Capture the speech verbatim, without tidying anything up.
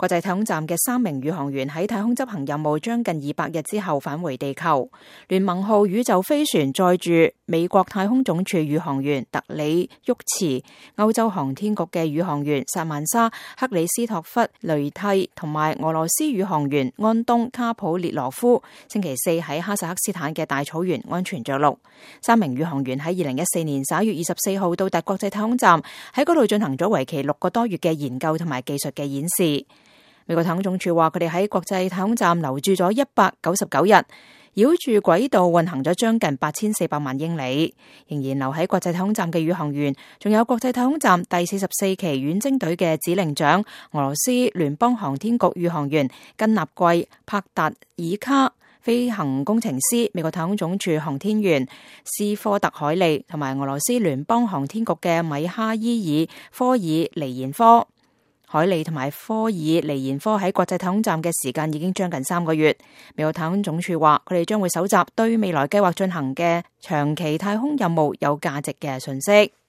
國際太空站嘅三名宇航員喺太空執行任務將近二百日之後返回地球。聯盟號宇宙飛船載住美國太空總署宇航員特里沃茨、歐洲航天局嘅宇航員薩曼莎·克里斯托弗雷蒂同埋俄羅斯宇航員安東卡普列羅夫，星期四喺哈薩克斯坦嘅大草原安全着陸。三名宇航員喺二零一四年十一月二十四號到達國際太空站，喺嗰度進行咗為期六個多月嘅研究同埋技術嘅演示。美國太空總署話，佢哋喺國際太空站留駐咗一百九十九日，繞住軌道運行咗將近八千四百萬英里。仍然留喺國際太空站嘅宇航員，仲有國際太空站第四十四期遠征隊嘅指令長、俄羅斯聯邦航天局宇航員根納季·帕達爾卡、飛行工程師、美國太空總署航天員斯科特·海利同埋俄羅斯聯邦航天局嘅米哈伊爾·科爾尼延科。海利同埋科爾尼延科喺國際太空站嘅時間已經將近三個月。美國太空總署話，佢哋將會搜集對未來計劃進行嘅長期太空任務有價值嘅信息。